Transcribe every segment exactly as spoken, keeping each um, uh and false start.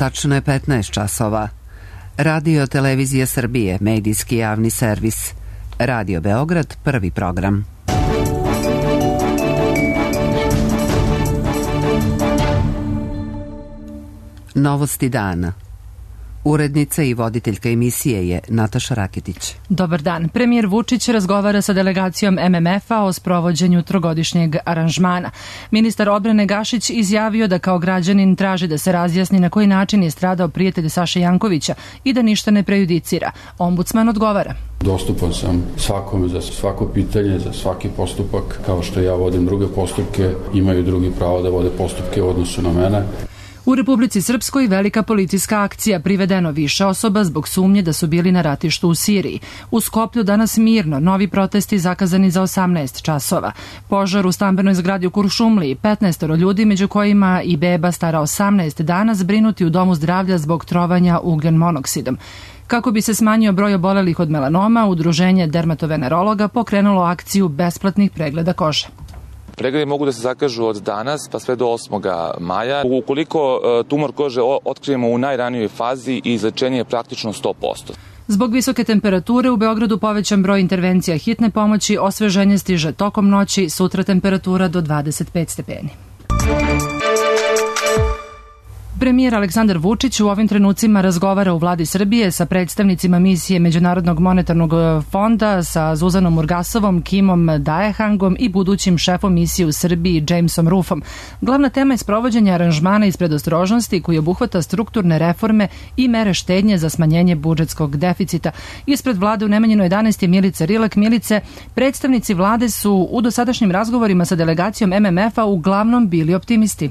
Tačno je petnaest časova. Radio Televizija Srbije, medijski javni servis. Radio Beograd, prvi program. Novosti dana. Urednica i voditeljka emisije je Nataša Raketić. Dobar dan. Premijer Vučić razgovara sa delegacijom M M F-a o sprovođenju trogodišnjeg aranžmana. Ministar odbrane Gašić izjavio da kao građanin traži da se razjasni na koji način je stradao prijatelj Saše Jankovića i da ništa ne prejudicira. Ombudsman odgovara. Dostupan sam svakome za svako pitanje, za svaki postupak. Kao što ja vodim druge postupke, imaju drugi pravo da vode postupke u odnosu na mene. U Republici Srpskoj velika policijska akcija, privedeno više osoba zbog sumnje da su bili na ratištu u Siriji. U Skoplju danas mirno, novi protesti zakazani za osamnaest časova. Požar u stambenoj zgradi u Kuršumliji, petnaest ljudi, među kojima i beba stara osamnaest dana, zbrinuti u domu zdravlja zbog trovanja ugljen monoksidom. Kako bi se smanjio broj obolelih od melanoma, Udruženje dermatovenerologa pokrenulo akciju besplatnih pregleda kože. Pregledi mogu da se zakažu od danas pa sve do osmog maja. Ukoliko tumor kože otkrijemo u najranijoj fazi, izlečenje je praktično sto posto. Zbog visoke temperature u Beogradu povećan broj intervencija hitne pomoći, osveženje stiže tokom noći, sutra temperatura do dvadeset pet stepeni. Premijer Aleksandar Vučić u ovim trenucima razgovara u vladi Srbije sa predstavnicima misije Međunarodnog monetarnog fonda, sa Zuzanom Urgasovom, Kimom Daehangom i budućim šefom misije u Srbiji Jamesom Rufom. Glavna tema je sprovođenje aranžmana iz predostrožnosti koji obuhvata strukturne reforme i mere štednje za smanjenje budžetskog deficita. Ispred vlade u Nemanjinoj jedanaest je Milica Rilak. Milice, predstavnici vlade su u dosadašnjim razgovorima sa delegacijom M M F-a uglavnom bili optimisti.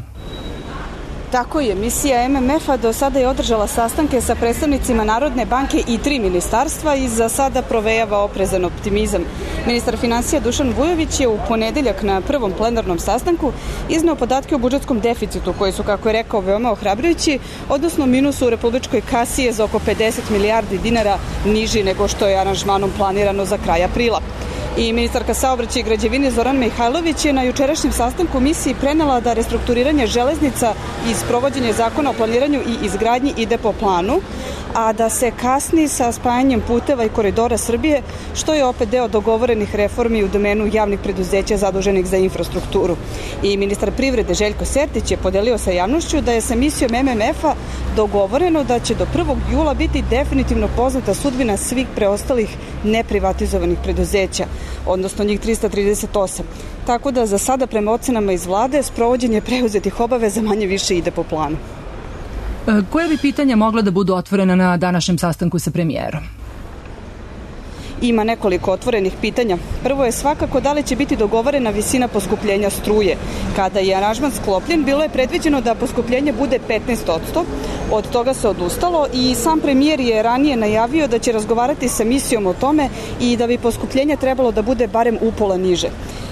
Tako je, misija M M F-a do sada je održala sastanke sa predstavnicima Narodne banke i tri ministarstva i za sada provejava oprezan optimizam. Ministar finansija Dušan Vujović je u ponedeljak na prvom plenarnom sastanku izneo podatke o budžetskom deficitu koji su, kako je rekao, veoma ohrabrujući, odnosno minusu u republičkoj kasi je za oko pedeset milijardi dinara niži nego što je aranžmanom planirano za kraj aprila. I ministarka saobraćaja i građevine Zorana Mihajlović je na jučerašnjem sastanku misiji prenela da restrukturiranje železnica i sprovođenje zakona o planiranju i izgradnji ide po planu, a da se kasni sa spajanjem puteva i koridora Srbije, što je opet deo dogovorenih reformi u domenu javnih preduzeća zaduženih za infrastrukturu. I ministar privrede Željko Sertić je podelio sa javnošću da je sa misijom M M F-a dogovoreno da će do prvog jula biti definitivno poznata sudbina svih preostalih neprivatizovanih preduzeća, odnosno njih trista trideset osam. Tako da za sada prema ocenama iz vlade sprovođenje preuzetih obaveza manje više ide po planu. Koje bi pitanja mogla da budu otvorena na današnjem sastanku sa premijerom? Ima nekoliko otvorenih pitanja. Prvo je svakako da li će biti dogovorena visina poskupljenja struje. Kada je aranžman sklopljen, bilo je predviđeno da poskupljenje bude petnaest posto. Od toga se odustalo i sam premijer je ranije najavio da će razgovarati sa misijom o tome i da bi poskupljenje trebalo da bude barem upola niže.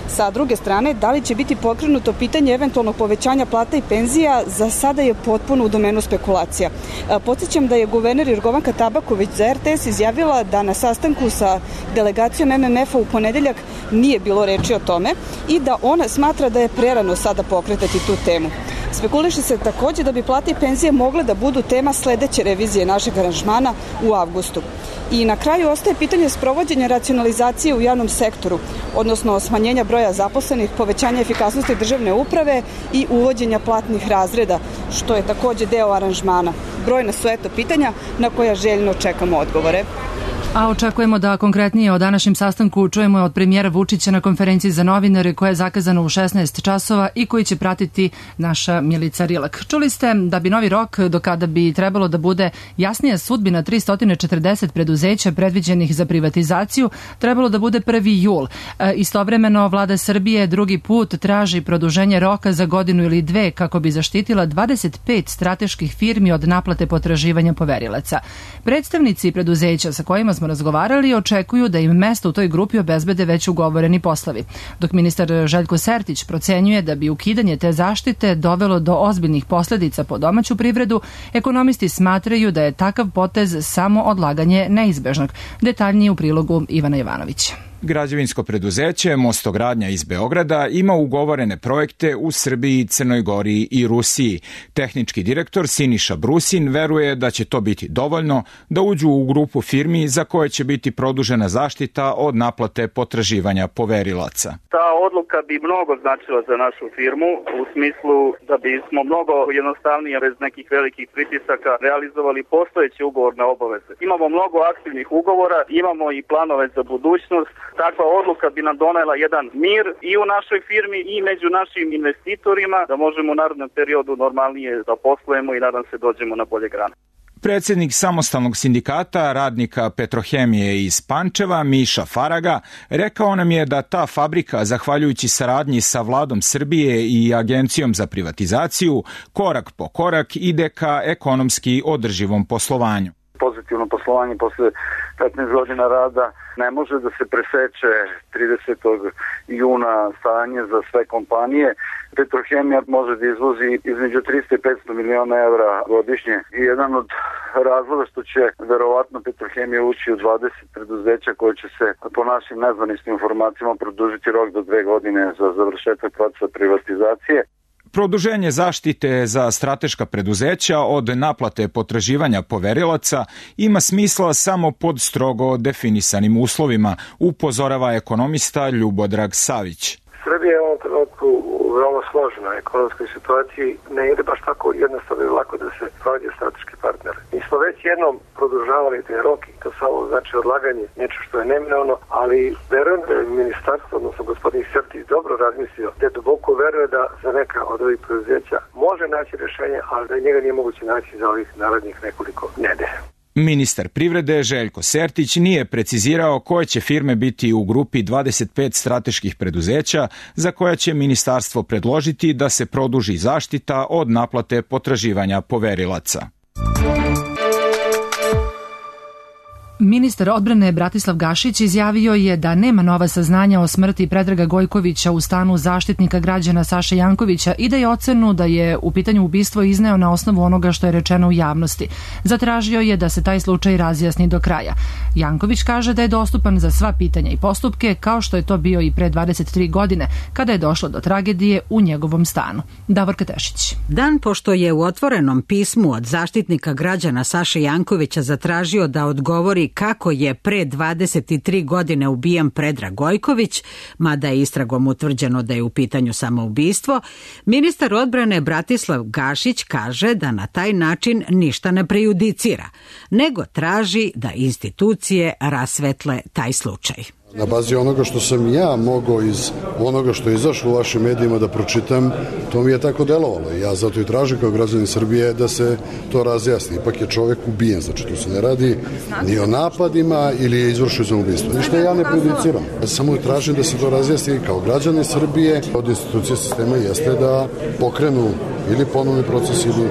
Sa druge strane, da li će biti pokrenuto pitanje eventualnog povećanja plata i penzija, za sada je potpuno u domenu spekulacija. Podsjećam da je guverner Jorgovanka Tabaković za R T S izjavila da na sastanku sa delegacijom M M F-a u ponedeljak nije bilo reči o tome i da ona smatra da je prerano sada pokretati tu temu. Spekuliše se takođe da bi plate i penzije mogle da budu tema sledeće revizije našeg aranžmana u avgustu. I na kraju ostaje pitanje sprovođenja racionalizacije u javnom sektoru, odnosno smanjenja broja zaposlenih, povećanja efikasnosti državne uprave i uvođenja platnih razreda, što je takođe deo aranžmana. Brojna su eto pitanja na koja željno čekamo odgovore. A očekujemo da konkretnije o današnjem sastanku čujemo od premijera Vučića na konferenciji za novinare koja je zakazana u šesnaest časova i koji će pratiti naša Milica Rilak. Čuli ste da bi novi rok do kada bi trebalo da bude jasnija sudbina tristo četrdeset preduzeća predviđenih za privatizaciju trebalo da bude prvi jul. E, istovremeno vlada Srbije drugi put traži produženje roka za godinu ili dve kako bi zaštitila dvadeset pet strateških firmi od naplate potraživanja poverilaca. Predstavnici preduzeća sa kojima smo razgovarali očekuju da im mesto u toj grupi obezbede već ugovoreni poslovi. Dok ministar Željko Sertić procenjuje da bi ukidanje te zaštite dovelo do ozbiljnih posledica po domaću privredu, ekonomisti smatraju da je takav potez samo odlaganje neizbežnog. Detaljnije u prilogu Ivana Jovanovića. Građevinsko preduzeće Mostogradnja iz Beograda ima ugovorene projekte u Srbiji, Crnoj Gori i Rusiji. Tehnički direktor Siniša Brusin veruje da će to biti dovoljno da uđu u grupu firmi za koje će biti produžena zaštita od naplate potraživanja poverilaca. Ta odluka bi mnogo značila za našu firmu u smislu da bismo mnogo jednostavnije bez nekih velikih pritisaka realizovali postojeće ugovorne obaveze. Imamo mnogo aktivnih ugovora, imamo i planove za budućnost. Takva odluka bi nam donela jedan mir i u našoj firmi i među našim investitorima da možemo u narednom periodu normalnije da poslujemo i nadam se dođemo na bolje grane. Predsjednik samostalnog sindikata radnika Petrohemije iz Pančeva, Miša Faraga, rekao nam je da ta fabrika, zahvaljujući saradnji sa vladom Srbije i Agencijom za privatizaciju, korak po korak ide ka ekonomski održivom poslovanju. Pozitivno poslovanje posle petnaest godina rada ne može da se preseče tridesetog juna stanje za sve kompanije. Petrohemija može da izvozi između trista i petsto miliona evra godišnje i jedan od razloga što će verovatno Petrohemija ući u dvadeset preduzeća koje će se po našim nezvaničnim informacijama produžiti rok do dve godine za završetak procesa privatizacije. Produženje zaštite za strateška preduzeća od naplate potraživanja poverilaca ima smisla samo pod strogo definisanim uslovima, upozorava ekonomista Ljubodrag Savić. Srbija je u ovom trenutku u veoma složenoj ekonomskoj situaciji, ne ide baš tako jednostavno i lako da se prođe strateški partner. Mi smo već jednom produžavali te roki, to samo znači odlaganje, nešto što je neminovno, ali verujem da je ministarstvo, odnosno gospodin Sertić, dobro razmislio, te duboko veruje da za neka od ovih preduzeća može naći rješenje, ali da njega nije moguće naći za ovih narednih nekoliko nedelja. Ministar privrede Željko Sertić nije precizirao koje će firme biti u grupi dvadeset pet strateških preduzeća za koja će ministarstvo predložiti da se produži zaštita od naplate potraživanja poverilaca. Ministar odbrane Bratislav Gašić izjavio je da nema nova saznanja o smrti Predraga Gojkovića u stanu Zaštitnika građana Saše Jankovića i da je ocenu da je u pitanju ubistvo izneo na osnovu onoga što je rečeno u javnosti. Zatražio je da se taj slučaj razjasni do kraja. Janković kaže da je dostupan za sva pitanja i postupke, kao što je to bio i pre dvadeset tri godine, kada je došlo do tragedije u njegovom stanu. Davorka Tešić. Dan pošto je u otvorenom pismu od Zaštitnika građana Saše Jankovića zatražio da odgovori kako je pre dvadeset tri godine ubijen Predrag Gojković, mada je istragom utvrđeno da je u pitanju samoubistvo, ministar odbrane Bratislav Gašić kaže da na taj način ništa ne prejudicira, nego traži da institucije rasvetle taj slučaj. Na bazi onoga što sam ja mogao iz onoga što je izašlo u vašim medijima da pročitam, to mi je tako delovalo. Ja zato i tražim kao građanin Srbije da se to razjasni. Ipak je čovjek ubijen, znači tu se ne radi ni o napadima ili je izvršio samoubistvo. Ništa ja ne prejudiciram. Ja samo tražim da se to razjasni kao građanin Srbije. Od institucije sistema jeste da pokrenu ili ponovni proces ili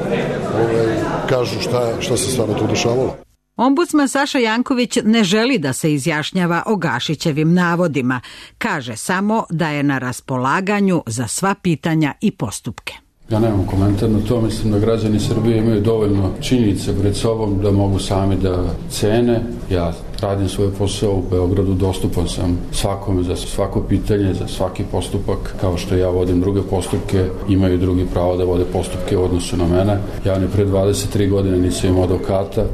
ovaj, kažu šta, šta se stvarno tu dešavalo. Ombudsman Saša Janković ne želi da se izjašnjava o Gašićevim navodima. Kaže samo da je na raspolaganju za sva pitanja i postupke. Ja nemam komentar na to, mislim da građani Srbije imaju dovoljno činjenica pred sobom da mogu sami da cene. Ja radim svoj posao u Beogradu, dostupan sam svakome za svako pitanje, za svaki postupak, kao što ja vodim druge postupke, imaju drugi pravo da vode postupke u odnosu na mene. Ja ni pre dvadeset tri godine nisam imao advokata.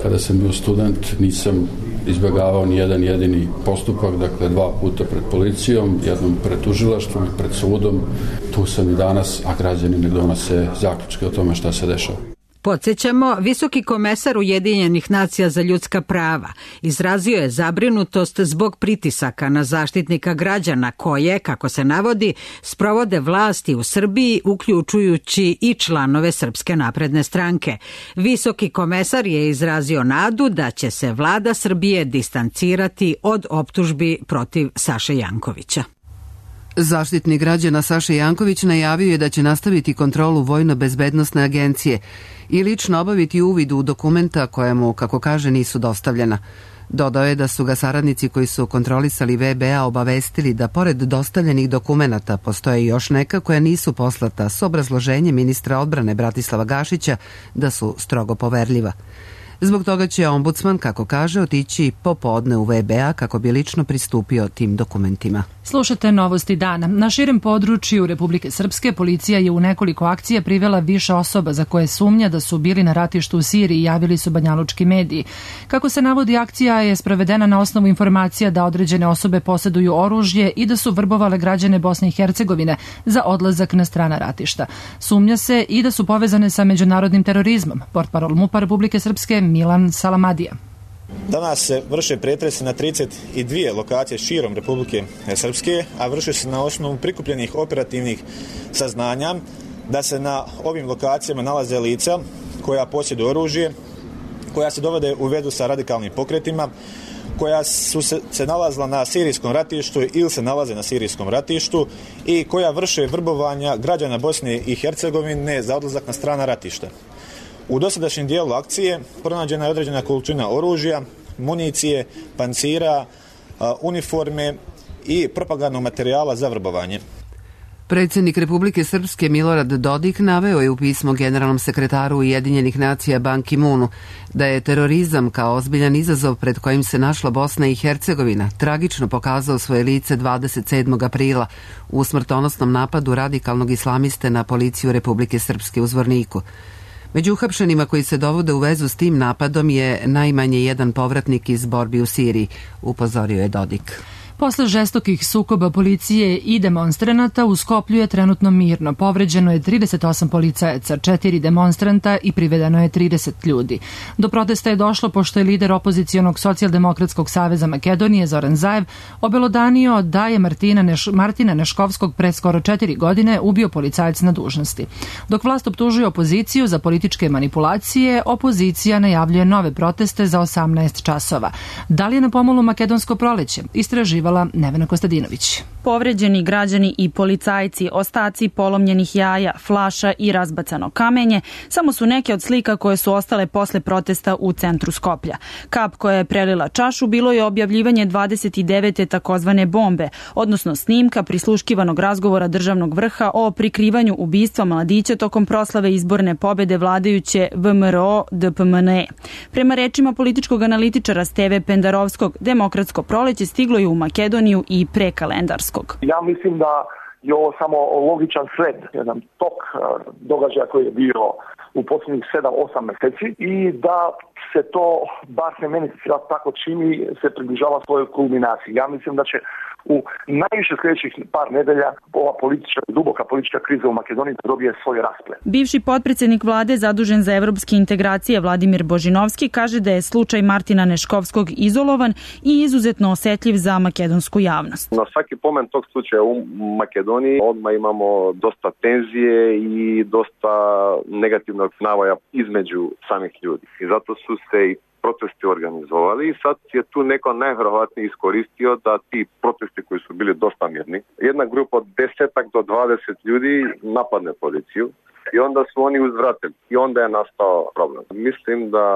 Kada sam bio student nisam izbjegavao ni jedan jedini postupak, dakle dva puta pred policijom, jednom pred tužilaštvom i pred sudom. Tu sam i danas, a građani ne donose zaključke o tome šta se dešava. Podsjećamo, visoki komesar Ujedinjenih nacija za ljudska prava izrazio je zabrinutost zbog pritisaka na Zaštitnika građana koje, kako se navodi, sprovode vlasti u Srbiji, uključujući i članove Srpske napredne stranke. Visoki komesar je izrazio nadu da će se vlada Srbije distancirati od optužbi protiv Saše Jankovića. Zaštitnik građana Saša Janković najavio je da će nastaviti kontrolu Vojno-bezbednosne agencije i lično obaviti uvid u dokumenta koja mu, kako kaže, nisu dostavljena. Dodao je da su ga saradnici koji su kontrolisali V B A obavestili da pored dostavljenih dokumenata postoje još neka koja nisu poslata s obrazloženjem ministra odbrane Bratislava Gašića da su strogo poverljiva. Zbog toga će ombudsman, kako kaže, otići popodne u V B A kako bi lično pristupio tim dokumentima. Slušate Novosti dana. Na širem području Republike Srpske policija je u nekoliko akcija privela više osoba za koje sumnja da su bili na ratištu u Siriji, javili su banjalučki mediji. Kako se navodi, akcija je sprovedena na osnovu informacija da određene osobe poseduju oružje i da su vrbovale građane Bosne i Hercegovine za odlazak na strana ratišta. Sumnja se i da su povezane sa međunarodnim terorizmom. Portparol MUP-a Republike Srpske Milan Salamadija. Danas se vrše pretresi na trideset dvije lokacije širom Republike Srpske, a vrše se na osnovu prikupljenih operativnih saznanja da se na ovim lokacijama nalaze lica koja posjeduju oružje, koja se dovode u vezu sa radikalnim pokretima, koja su se, se nalazila na sirijskom ratištu ili se nalaze na sirijskom ratištu i koja vrše vrbovanja građana Bosne i Hercegovine za odlazak na strana ratišta. U dosadašnjem dijelu akcije pronađena je određena količina oružja, municije, pancira, uniforme i propagandnog materijala za vrbovanje. Predsjednik Republike Srpske Milorad Dodik naveo je u pismu generalnom sekretaru Ujedinjenih nacija Ban Ki-moonu da je terorizam kao ozbiljan izazov pred kojim se našla Bosna i Hercegovina tragično pokazao svoje lice dvadeset sedmog aprila u smrtonosnom napadu radikalnog islamiste na policiju Republike Srpske u Zvorniku. Među uhapšenima koji se dovode u vezu s tim napadom je najmanje jedan povratnik iz borbi u Siriji, upozorio je Dodik. Posle žestokih sukoba policije i demonstranata u Skoplju je trenutno mirno. Povređeno je trideset osam policajaca, četiri demonstranta i privedeno je trideset ljudi. Do protesta je došlo pošto je lider opozicionog socijaldemokratskog saveza Makedonije Zoran Zaev obelodanio da je Martina, Neš, Martina Neškovskog pre skoro četiri godine ubio policajac na dužnosti. Dok vlast optužuje opoziciju za političke manipulacije, opozicija najavljuje nove proteste za osamnaest časova. Da li je na pomolu makedonsko proleće? Istraživala Nevena Kostadinović. Povređeni građani i policajci, ostaci polomljenih jaja, flaša i razbacano kamenje samo su neke od slika koje su ostale posle protesta u centru Skoplja. Kap koja je prelila čašu bilo je objavljivanje dvadeset devete takozvane bombe, odnosno snimka prisluškivanog razgovora državnog vrha o prikrivanju ubistva mladića tokom proslave izborne pobede vladajuće V M R O D P M N E. Prema rečima političkog analitičara Steve Pendarovskog, demokratsko proleće stiglo je u Makedoniju i prekalendarskog. Ja mislim da je ovo samo logičan sled, jedan tok događaja koji je bio u posljednjih sedam osam meseci i da se to, bar se meni tako čini, se približava svojoj kulminaciji. Ja mislim da će u najviše sljedećih par nedelja ova politička, duboka politička kriza u Makedoniji dobije svoj rasplet. Bivši potpredsjednik vlade zadužen za evropske integracije Vladimir Božinovski kaže da je slučaj Martina Neškovskog izolovan i izuzetno osetljiv za makedonsku javnost. Na svaki pomen tog slučaja u Makedoniji odmah imamo dosta tenzije i dosta negativnog navoja između samih ljudi. I zato su se i protesti organizovali i sad je tu neko najvjerovatnije iskoristio da ti protesti koji su bili dosta mirni, jedna grupa od desetak do dvadeset ljudi napadne policiju i onda su oni uzvratili i onda je nastao problem. Mislim da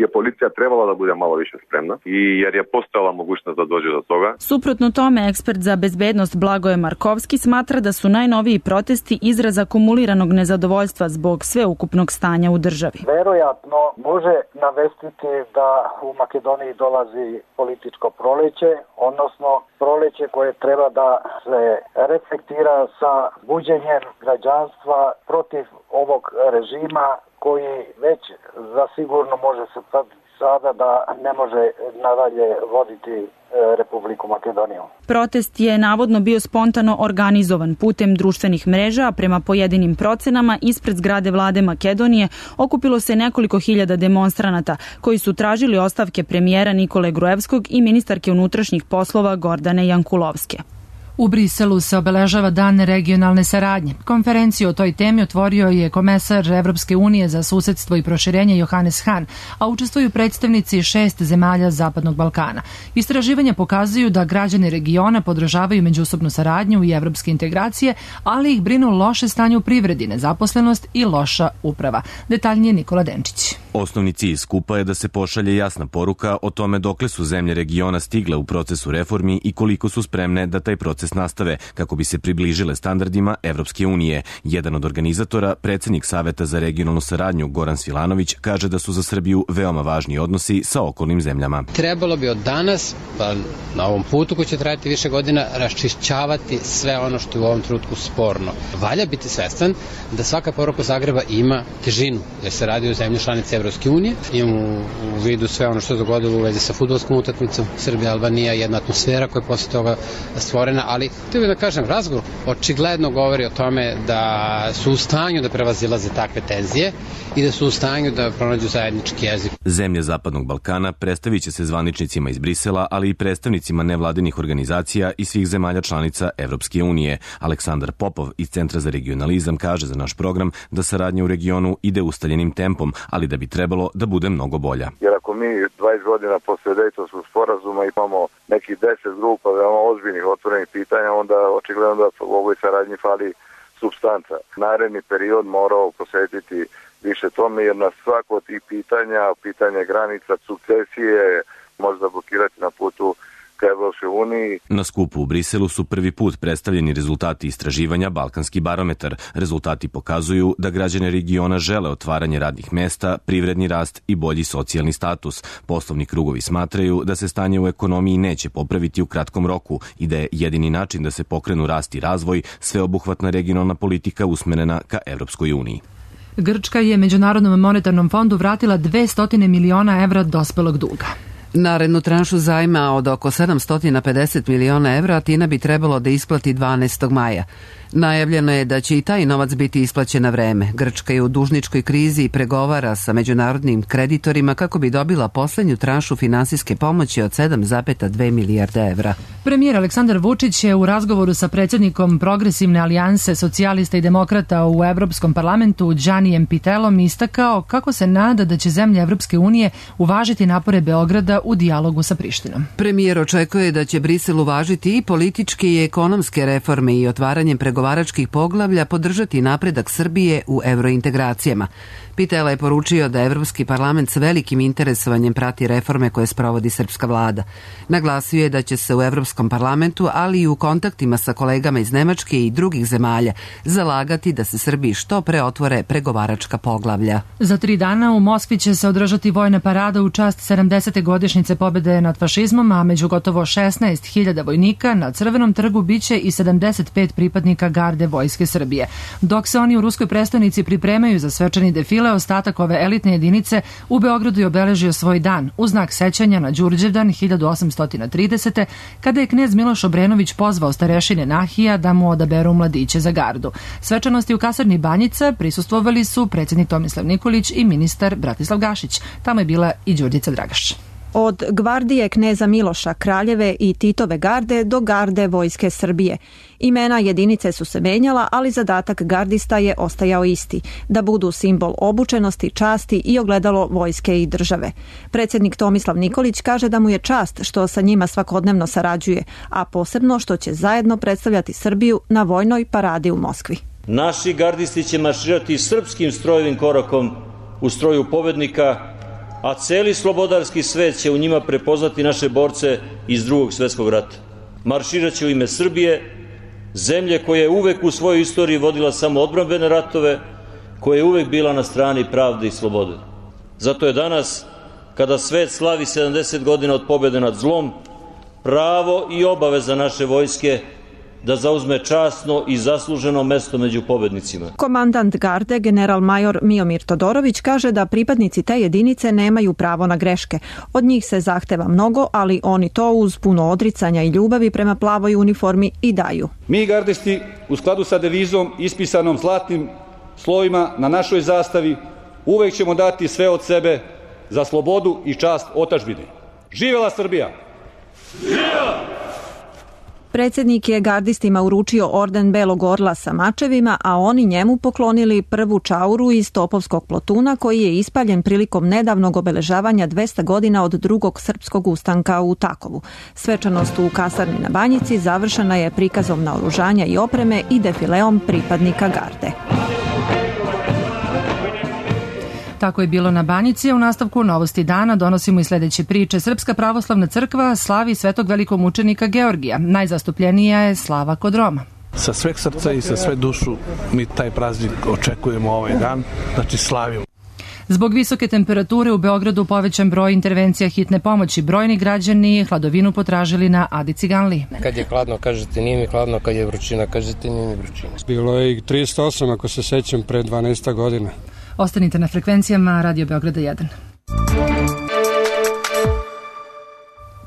je policija trebala da bude malo više spremna i jer je postojala mogućnost da dođe do toga. Suprotno tome, ekspert za bezbednost Blagoje Markovski smatra da su najnoviji protesti izraz akumuliranog nezadovoljstva zbog sveukupnog stanja u državi. Verojatno može navestiti da u Makedoniji dolazi političko proleće, odnosno proleće koje treba da se reflektira sa buđenjem građanstva protiv ovog režima koji već zasigurno može se sada da ne može nadalje voditi Republiku Makedoniju. Protest je navodno bio spontano organizovan putem društvenih mreža, a prema pojedinim procenama ispred zgrade vlade Makedonije okupilo se nekoliko hiljada demonstranata koji su tražili ostavke premijera Nikole Gruevskog i ministarke unutrašnjih poslova Gordane Jankulovske. U Briselu se obeležava Dan regionalne saradnje. Konferenciju o toj temi otvorio je komesar Evropske unije za susedstvo i proširenje Johannes Hahn, a učestvuju predstavnici šest zemalja Zapadnog Balkana. Istraživanja pokazuju da građani regiona podržavaju međusobnu saradnju i evropske integracije, ali ih brinu loše stanje u privredi, nezaposlenost i loša uprava. Detaljnije Nikola Denčić. Osnovni cilj skupa je da se pošalje jasna poruka o tome dokle su zemlje regiona stigle u procesu reformi i koliko su spremne da taj proces nastave kako bi se približile standardima Evropske unije. Jedan od organizatora, predsednik Saveta za regionalnu saradnju Goran Svilanović, kaže da su za Srbiju veoma važni odnosi sa okolnim zemljama. Trebalo bi od danas, pa na ovom putu koji će trajati više godina, raščišćavati sve ono što je u ovom trenutku sporno. Valja biti svestan da svaka poruka Zagreba ima težinu, jer se radi o zemlji članice Evropske unije. Imamo u vidu sve ono što se dogodilo u vezi sa fudbalskom utakmicom Srbija-Albanija, jedna atmosfera koja je posle toga stvorena, ali htio bih da kažem, razgovor očigledno govori o tome da su u stanju da prevazilaze takve tenzije i da su u stanju da pronađu zajednički jezik. Zemlje Zapadnog Balkana predstavit će se zvaničnicima iz Brisela, ali i predstavnicima nevladinih organizacija i svih zemalja članica Evropske unije. Aleksandar Popov iz Centra za regionalizam kaže za naš program da saradnja u regionu ide ustaljenim tempom, ali da bi trebalo da bude mnogo bolja. Jer ako mi dvadeset godina posle Dejtonskog sporazuma imamo nekih deset grupa veoma ozbiljnih otvorenih pitanja, onda očigledno da u ovoj saradnji fali supstanca. Naredni period morao posvetiti više tome, jer na svako od tih pitanja, pitanje granica, sukcesije, možda blokirati na putu ka Evropskoj uniji. Na skupu u Briselu su prvi put predstavljeni rezultati istraživanja Balkanski barometar. Rezultati pokazuju da građane regiona žele otvaranje radnih mesta, privredni rast i bolji socijalni status. Poslovni krugovi smatraju da se stanje u ekonomiji neće popraviti u kratkom roku i da je jedini način da se pokrenu rast i razvoj sveobuhvatna regionalna politika usmerena ka Evropskoj uniji. Grčka je Međunarodnom monetarnom fondu vratila dvesta miliona evra dospelog duga. Narednu tranšu zajma od oko sedamsto pedeset miliona evra Atina bi trebalo da isplati dvanaestog maja. Najavljeno je da će i taj novac biti isplaćen na vreme. Grčka je u dužničkoj krizi i pregovara sa međunarodnim kreditorima kako bi dobila poslednju tranšu finansijske pomoći od sedam zarez dve milijarde evra. Premijer Aleksandar Vučić je u razgovoru sa predsjednikom Progresivne alijanse socijalista i demokrata u Evropskom parlamentu Đanijem Pitelom istakao kako se nada da će zemlje Evropske unije uvažiti napore Beograda u dijalogu sa Prištinom. Premijer očekuje da će Brisel uvažiti i političke i ekonomske reforme i otvaranjem pregovaračkih poglavlja podržati napredak Srbije u evrointegracijama. Pitela je poručio da Evropski parlament s velikim interesovanjem prati reforme koje sprovodi srpska vlada. Naglasio je da će se u Evropskom parlamentu, ali i u kontaktima sa kolegama iz Nemačke i drugih zemalja, zalagati da se Srbiji što pre otvore pregovaračka poglavlja. Za tri dana u Moskvi će se održati vojna parada u čast sedamdesete godišnjice pobede nad fašizmom, a među gotovo šesnaest hiljada vojnika na Crvenom trgu biće i sedamdeset pet pripadnika garde Vojske Srbije. Dok se oni u ruskoj prestonici pripremaju za svečani defile, ostatak ove elitne jedinice u Beogradu je obeležio svoj dan u znak sećanja na Đurđevdan hiljadu osamsto tridesete. kada je knez Miloš Obrenović pozvao starešine Nahija da mu odaberu mladiće za gardu. Svečanosti u kasarni Banjica prisustvovali su predsjednik Tomislav Nikolić i ministar Bratislav Gašić. Tamo je bila i Đurđica Dragaš. Od gvardije kneza Miloša, Kraljeve i Titove garde do garde Vojske Srbije. Imena jedinice su se menjala, ali zadatak gardista je ostajao isti, da budu simbol obučenosti, časti i ogledalo vojske i države. Predsjednik Tomislav Nikolić kaže da mu je čast što sa njima svakodnevno sarađuje, a posebno što će zajedno predstavljati Srbiju na vojnoj paradi u Moskvi. Naši gardisti će marširati srpskim strojevim korakom u stroju pobednika, a celi slobodarski svet će u njima prepoznati naše borce iz Drugog svjetskog rata. Marširat će u ime Srbije, zemlje koja je uvek u svojoj istoriji vodila samo odbrambene ratove, koja je uvek bila na strani pravde i slobode. Zato je danas, kada svet slavi sedamdeset godina od pobjede nad zlom, pravo i obaveza naše vojske da zauzme časno i zasluženo mesto među pobednicima. Komandant garde, general major Miomir Todorović, kaže da pripadnici te jedinice nemaju pravo na greške. Od njih se zahteva mnogo, ali oni to uz puno odricanja i ljubavi prema plavoj uniformi i daju. Mi gardisti, u skladu sa devizom ispisanom zlatnim slovima na našoj zastavi, uvek ćemo dati sve od sebe za slobodu i čast otadžbine. Živela Srbija! Živela! Predsjednik je gardistima uručio orden Belog orla sa mačevima, a oni njemu poklonili prvu čauru iz topovskog plotuna koji je ispaljen prilikom nedavnog obeležavanja dvesta godina od drugog srpskog ustanka u Takovu. Svečanost u kasarni na Banjici završena je prikazom naoružanja i opreme i defileom pripadnika garde. Tako je bilo na Banjici, a u nastavku Novosti dana donosimo i sledeće priče. Srpska pravoslavna crkva slavi svetog velikomučenika Georgija. Najzastupljenija je slava kod Roma. Sa sveg srca i sa sve dušu mi taj praznik očekujemo ovaj dan, znači slavimo. Zbog visoke temperature u Beogradu povećan broj intervencija hitne pomoći. Brojni građani hladovinu potražili na Adi Ciganliji. Kad je hladno, kažete nije mi hladno, kad je vrućina, kažete nije mi vrućina. Bilo je i trideset osam, ako se sećam, pre dvanaest godina. Ostanite na frekvencijama Radio Beograda jedan.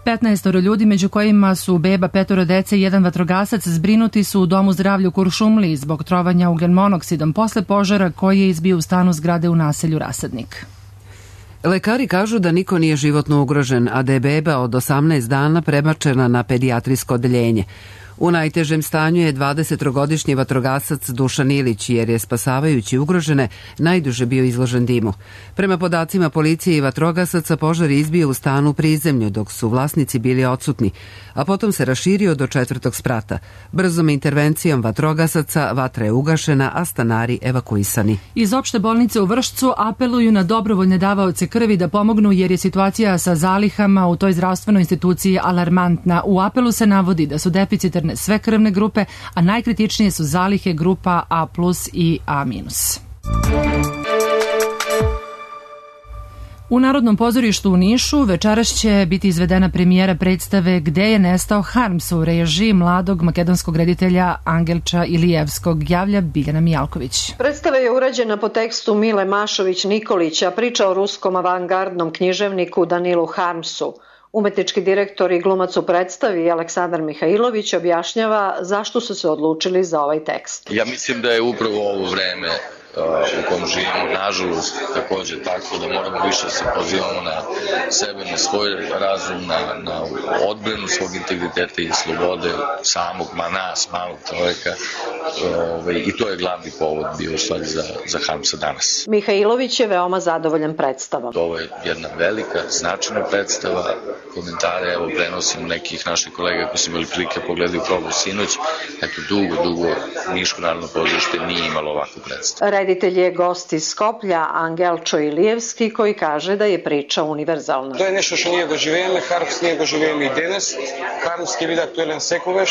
petnaestoro ljudi, među kojima su beba, petoro dece i jedan vatrogasac, zbrinuti su u domu zdravlja u Kuršumliji zbog trovanja ugljen monoksidom posle požara koji je izbio u stanu zgrade u naselju Rasadnik. Lekari kažu da niko nije životno ugrožen, a da je beba od osamnaest dana prebačena na pedijatrijsko odeljenje. U najtežem stanju je dvadesettrogodišnji vatrogasac Dušan Ilić, jer je spasavajući ugrožene najduže bio izložen dimu. Prema podacima policije i vatrogasaca, požar je izbio u stanu u prizemlju, dok su vlasnici bili odsutni, a potom se raširio do četvrtog sprata. Brzom intervencijom vatrogasaca vatra je ugašena, a stanari evakuisani. Iz opšte bolnice u Vršcu apeluju na dobrovoljne davaoce krvi da pomognu, jer je situacija sa zalihama u toj zdravstvenoj instituciji alarmantna. U apelu se navodi da su deficitarne sve krvne grupe, a najkritičnije su zalihe grupa A plus i A minus. U Narodnom pozorištu u Nišu večeras će biti izvedena premijera predstave Gde je nestao Harms u režiji mladog makedonskog reditelja Angelča Ilijevskog, javlja Biljana Mijalković. Predstava je urađena po tekstu Mile Mašović-Nikolića, priča o ruskom avangardnom književniku Danilu Harmsu. Umetnički direktor i glumac u predstavi Aleksandar Mihajlović objašnjava zašto su se odlučili za ovaj tekst. Ja mislim da je upravo ovo vreme u kom živimo, nažalost, takođe tako da moramo više se pozivamo na sebe, na svoj razum, na, na odbranu svog integriteta i slobode samog, ma nas, malog čoveka. Ove, I to je glavni povod bio u stvari za, za Harmsa danas. Mihajlović je veoma zadovoljan predstavom. Ovo je jedna velika, značajna predstava. Komentare, evo, prenosim nekih naših kolega koji su imali prilike pogledaju probu sinoć. Eto, dugo, dugo Niško narodno pozorište nije imalo ovakvu predstavu. Reditelj je gost iz Skoplja, Angelčo Ilijevski, koji kaže da je priča univerzalna. To je nešto što nije doživeme, Harms nije doživeme i danas. Harms je vid aktuelan sekuveš,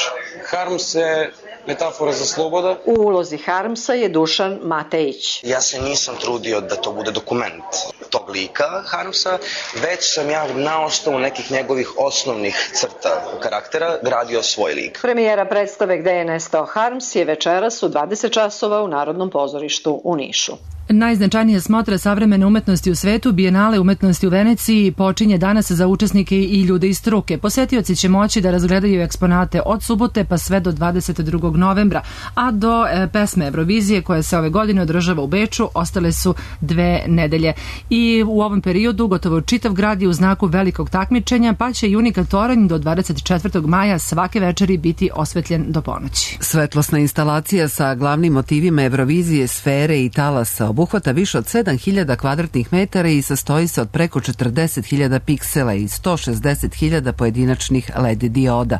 Harms je metafora za sloboda. U ulozi Harmsa je Dušan Matejić. Ja se nisam trudio da to bude dokument tog lika Harmsa, već sam ja na osnovu nekih njegovih osnovnih crta karaktera gradio svoj lik. Premijera predstave Gde je nestao Harms je večeras u dvadeset časova u Narodnom pozorištu u Nišu. Najznačajnija smotra savremene umetnosti u svetu, Bijenale umetnosti u Veneciji, počinje danas za učesnike i ljude iz struke. Posetioci će moći da razgledaju eksponate od subote pa sve do dvadeset drugog novembra, a do e, pesme Eurovizije koja se ove godine održava u Beču ostale su dve nedelje. I u ovom periodu gotovo čitav grad je u znaku velikog takmičenja, pa će Junika Toranj do dvadeset četvrtog maja svake večeri biti osvetljen do ponoći. Svetlosna instalacija sa glavnim motivima Eurovizije, sfere i talasa obuhvata više od sedam hiljada kvadratnih metara i sastoji se od preko četrdeset hiljada piksela i sto šezdeset hiljada pojedinačnih L E D dioda.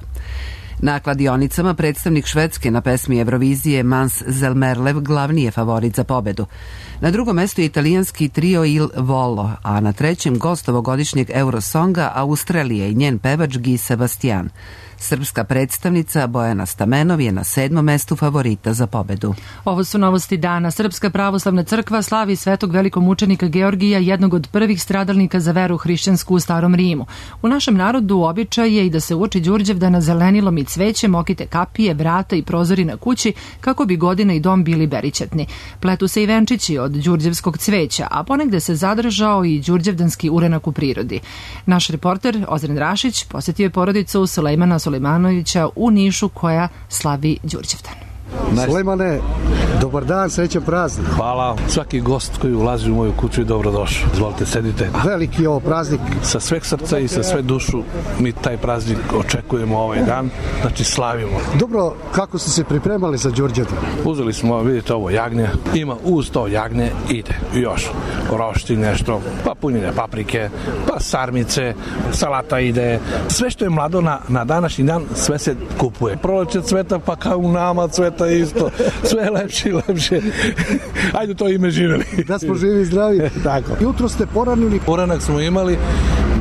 Na kladionicama predstavnik Švedske na pesmi Eurovizije Mans Zelmerlev glavni je favorit za pobedu. Na drugom mestu je italijanski trio Il Volo, a na trećem gost ovogodišnjeg Eurosonga Australije i njen pevač Guy Sebastian. Srpska predstavnica Bojana Stamenov je na sedmom mestu favorita za pobedu. Ovo su novosti dana. Srpska pravoslavna crkva slavi svetog velikomučenika Georgija, jednog od prvih stradalnika za veru hrišćansku u Starom Rimu. U našem narodu običaj je i da se uoči Đurđevdana zelenilom i cvećem okite kapije, vrata i prozori na kući kako bi godina i dom bili berićetni. Pletu se i venčići od đurđevskog cveća, a ponegde se zadržao i đurđevdanski urenak u prirodi. Naš reporter Ozren Rašić posetio je porodicu Sulejmana Sulejmanovića u Nišu koja slavi Đurđevdan. Sulejmane, dobar dan, srećan praznik. Hvala. Svaki gost koji ulazi u moju kuću je dobrodošao. Izvolite, sedite. Veliki je ovo praznik. Sa sveg srca i sa sve dušu mi taj praznik očekujemo ovaj dan, znači slavimo. Dobro, kako ste se pripremali za Đurđevdan? Uzeli smo, vidite ovo jagnje, ima uz to jagnje, ide još rošti nešto, pa punjene paprike, pa sarmice, salata ide, sve što je mlado na, na današnji dan, sve se kupuje. Proleće cveta, pa kao u nama cveta života isto. Sve lepše i lepše. Ajde to ime živeli. Da smo živi i zdravi. Tako. Jutro ste poranili. Poranak smo imali,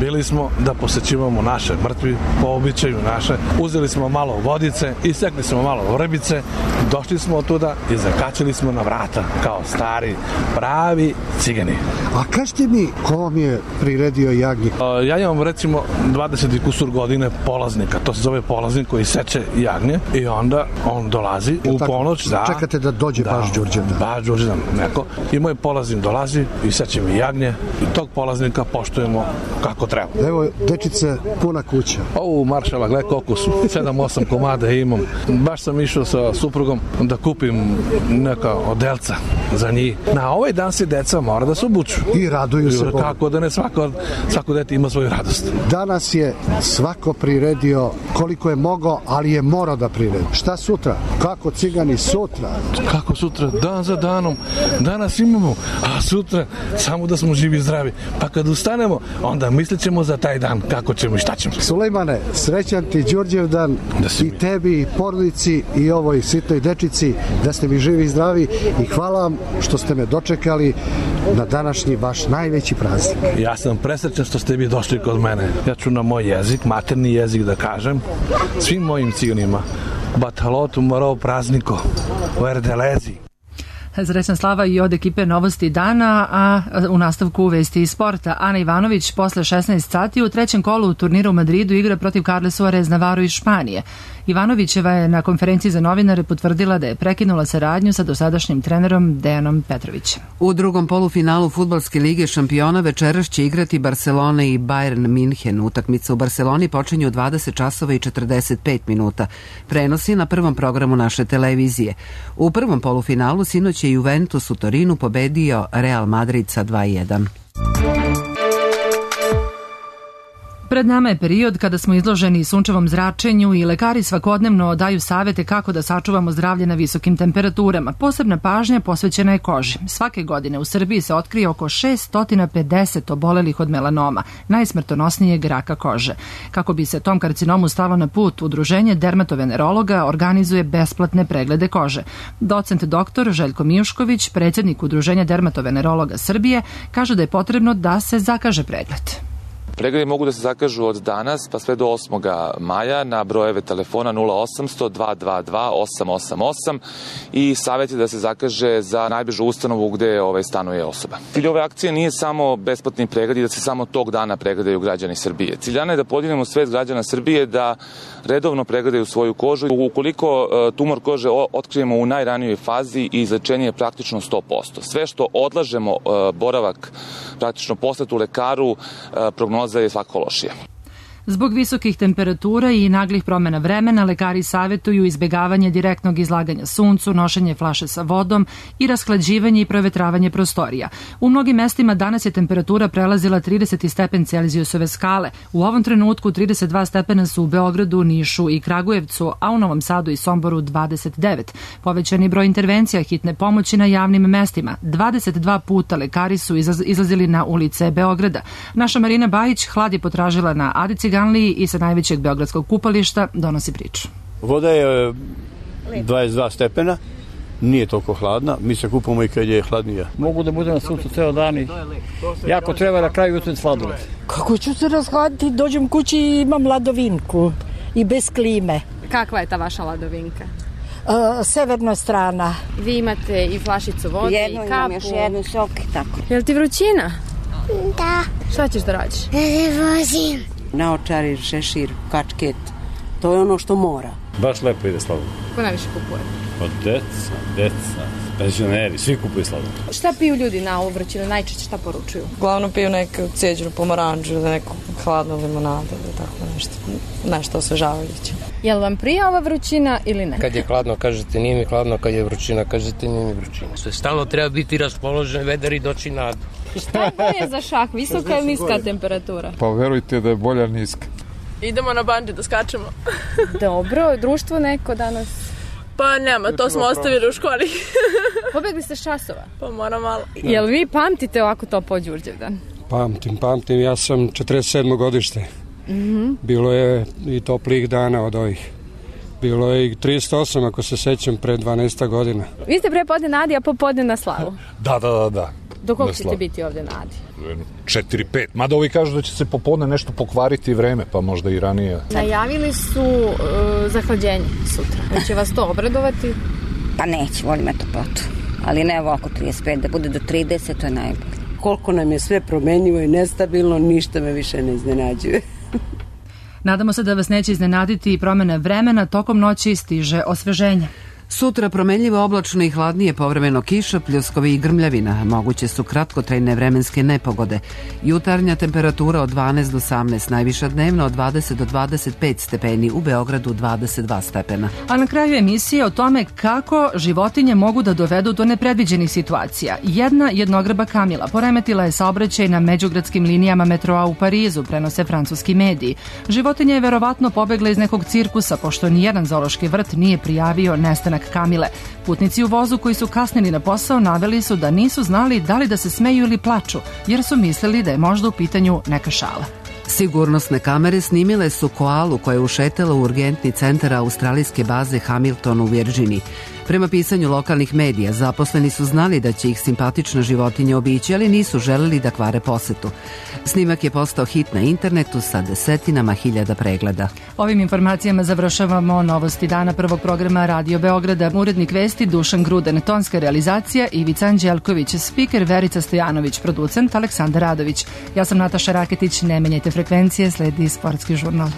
bili smo da posećivamo naše mrtvi, po običaju naše. Uzeli smo malo vodice, isekli smo malo vrbice, došli smo od tuda i zakačili smo na vrata kao stari, pravi cigani. A kažete mi, ko vam je priredio jagnje? Ja imam recimo dvadeset i kusur godine polaznika, to se zove polaznik koji seče jagnje i onda on dolazi u ponoć. Da, čekate da dođe da, baš Đurđevdan. Baš Đurđevdan, neko. I moj polaznik dolazi i seče mi jagnje i tog polaznika poštujemo kako treba. Evo, dečice, puna kuća. Ovo maršala, gledaj koliko su, sedam osam komada imam. Baš sam išao sa suprugom da kupim neka odelca za njih. Na ovaj dan se deca mora da se obuču. I raduju se. Kako da ne, svako, svako dete ima svoju radost. Danas je svako priredio koliko je mogao, ali je morao da priredi. Šta sutra? Kako cigani sutra? Kako sutra? Dan za danom. Danas imamo, a sutra samo da smo živi i zdravi. Pa kad ustanemo, onda mislit ćemo za taj dan kako ćemo i šta ćemo. Sulejmane, srećan ti Đurđevdan i tebi, i porodici, i ovoj sitoj dečici, da ste mi živi i zdravi i hvala vam što ste me dočekali na današnji vaš najveći praznik. Ja sam presrećan što ste vi došli kod mene. Ja ću na moj jezik, materni jezik da kažem, svim mojim ciganima. Batalotu morao prazniko, u Erdelezi. Srećna slava i od ekipe Novosti dana, a u nastavku vesti i sporta. Ana Ivanović posle šesnaest sati u trećem kolu u turniru u Madridu igra protiv Carle Suarez Navarro iz Španije. Ivanovićeva je na konferenciji za novinare potvrdila da je prekinula saradnju sa dosadašnjim trenerom Dejanom Petrovićem. U drugom polufinalu Fudbalske lige šampiona večeras će igrati Barcelona i Bayern Minhen. Utakmica u Barceloni počinje u dvadeset časova i četrdeset pet minuta. Prenosi na prvom programu naše televizije. U prvom polufinalu sinoć je Juventus u Torinu pobedio Real Madrid sa dva jedan. Pred nama je period kada smo izloženi sunčevom zračenju i lekari svakodnevno daju savete kako da sačuvamo zdravlje na visokim temperaturama. Posebna pažnja posvećena je koži. Svake godine u Srbiji se otkrije oko šessto pedeset obolelih od melanoma, najsmrtonosnijeg raka kože. Kako bi se tom karcinomu stalo na put, Udruženje dermatovenerologa organizuje besplatne preglede kože. Docent doktor Željko Mijušković, predsjednik Udruženja dermatovenerologa Srbije, kaže da je potrebno da se zakaže pregled. Pregledi mogu da se zakažu od danas pa sve do osmoga maja na brojeve telefona nula osamsto dva dva dva osam osam osam i savjet je da se zakaže za najbližu ustanovu gde ovaj stanuje osoba. Cilj ove akcije nije samo besplatni pregled i da se samo tog dana pregledaju građani Srbije. Ciljana je da podignemo svest građana Srbije da redovno pregledaju svoju kožu. Ukoliko tumor kože otkrijemo u najranijoj fazi, izlečenje je praktično sto posto. Sve što odlažemo boravak praktično posletu lekaru, prognoza je svako lošija. Zbog visokih temperatura i naglih promjena vremena, lekari savjetuju izbjegavanje direktnog izlaganja suncu, nošenje flaše sa vodom i rashlađivanje i provetravanje prostorija. U mnogim mestima danas je temperatura prelazila trideset stepen Celzijusove skale. U ovom trenutku trideset dva stepena su u Beogradu, Nišu i Kragujevcu, a u Novom Sadu i Somboru dvadeset devet. Povećani broj intervencija hitne pomoći na javnim mestima. dvadeset dva puta lekari su izlazili na ulice Beograda. Naša Marina Bajić hlad je potražila na Adici i sa najvećeg beogradskog kupališta donosi priču. Voda je dvadeset dva stepena, nije toliko hladna, mi se kupamo i kad je hladnija. Mogu da budem na suncu ceo dan i jako treba na kraju jutro sladoled. Kako ću se razhladiti, dođem kući i imam ladovinku i bez klime. Kakva je ta vaša ladovinka? Uh, severna strana. Vi imate i flašicu vode jedno, i kapu. Jedno, imam još jednu sok i tako. Je li ti vrućina? Da. Šta ćeš da radiš? Da se vozim. Naočari, šešir, kačket, to je ono što mora. Baš lepo ide sladoled. Ko najviše kupuje? Od deca, deca, penzioneri, svi kupuju sladoled. Šta piju ljudi na ovu vrućinu, najčešće šta poručuju? Glavno piju neku cijeđenu pomoranđu, da neku hladnu limonadu, da tako nešto, nešto osvežavajuće. Je li vam prija ova vrućina ili ne? Kad je hladno, kažete nije mi hladno, kad je vrućina, kažete nije mi vrućina. Sve stalno treba biti raspoložen, vedar i doći nadu. Šta je bolje za šah, visoka ili niska temperatura? Pa verujte da je bolja niska. Idemo na bandži da skačemo. Dobro, društvo neko danas? Pa nema, to smo ostavili u školi. Pobegli ste s časova? Pa mora malo. Jel vi pamtite ovako topao Đurđevdan? Pamtim, pamtim, ja sam četrdeset sedmo godište. Mm-hmm. Bilo je i toplih dana od ovih. Bilo je i trideset osam, ako se sećam, pre dvanaest godina. Vi ste pre podne na Adi, a popodne na Slavu. Da, da, da, da. Do koliko ćete biti ovde na Adi? četiri pet. Mada ovi kažu da će se popodne nešto pokvariti vreme, pa možda i ranije. Najavili su uh, zahlađenje sutra. Će vas to obradovati? Pa neće, volim ja toplotu. Ali ne ovako trideset pet, da bude do trideset, to je najbolje. Koliko nam je sve promenjivo i nestabilno, ništa me više ne iznenađuje. Nadamo se da vas neće iznenaditi i promene vremena, tokom noći stiže osveženje. Sutra promenljivo oblačno i hladnije, povremeno kiša, pljuskovi i grmljavina. Moguće su kratkotrajne vremenske nepogode. Jutarnja temperatura od dvanaest do osamnaest, najviša dnevna od dvadeset do dvadeset pet stepeni, u Beogradu dvadeset dva stepena. A na kraju emisije o tome kako životinje mogu da dovedu do nepredviđenih situacija. Jedna jednogreba kamila poremetila je saobraćaj na međugradskim linijama metroa u Parizu, prenose francuski mediji. Životinja je verovatno pobegla iz nekog cirkusa, pošto nijedan zoološki vrt nije prijavio nestanak kamile. Putnici u vozu koji su kasnili na posao naveli su da nisu znali da li da se smeju ili plaču, jer su mislili da je možda u pitanju neka šala. Sigurnosne kamere snimile su koalu koja je ušetala u urgentni centar australijske baze Hamilton u Virdžiniji. Prema pisanju lokalnih medija, zaposleni su znali da će ih simpatična životinja obići, ali nisu želeli da kvare posetu. Snimak je postao hit na internetu sa desetinama hiljada pregleda. Ovim informacijama završavamo novosti dana prvog programa Radio Beograda. Urednik vesti Dušan Gruden, tonska realizacija Ivica Anđelković, spiker Verica Stojanović, producent Aleksandar Radović. Ja sam Nataša Raketić, ne menjajte frekvencije, sledi sportski žurnal.